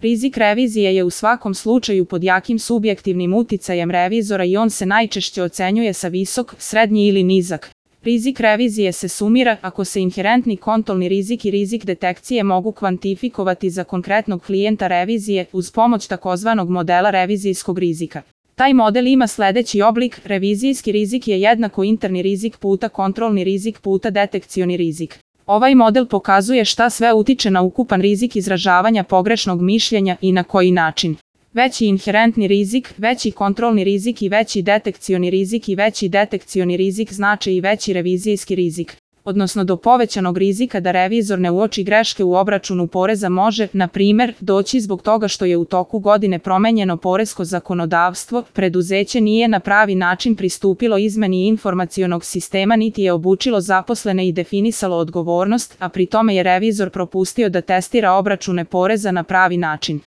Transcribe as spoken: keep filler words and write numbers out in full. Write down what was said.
Rizik revizije je u svakom slučaju pod jakim subjektivnim uticajem revizora i on se najčešće ocenjuje sa visok, srednji ili nizak. Rizik revizije se sumira ako se inherentni kontrolni rizik i rizik detekcije mogu kvantifikovati za konkretnog klijenta revizije uz pomoć takozvanog modela revizijskog rizika. Taj model ima sledeći oblik: revizijski rizik je jednako interni rizik puta kontrolni rizik puta detekcioni rizik. Ovaj model pokazuje šta sve utiče na ukupan rizik izražavanja pogrešnog mišljenja i na koji način. Veći inherentni rizik, veći kontrolni rizik i veći detekcioni rizik i veći detekcioni rizik znače i veći revizijski rizik, odnosno do povećanog rizika da revizor ne uoči greške u obračunu poreza može, na primer, doći zbog toga što je u toku godine promenjeno poresko zakonodavstvo, preduzeće nije na pravi način pristupilo izmeni informacionog sistema niti je obučilo zaposlene i definisalo odgovornost, a pri tome je revizor propustio da testira obračune poreza na pravi način.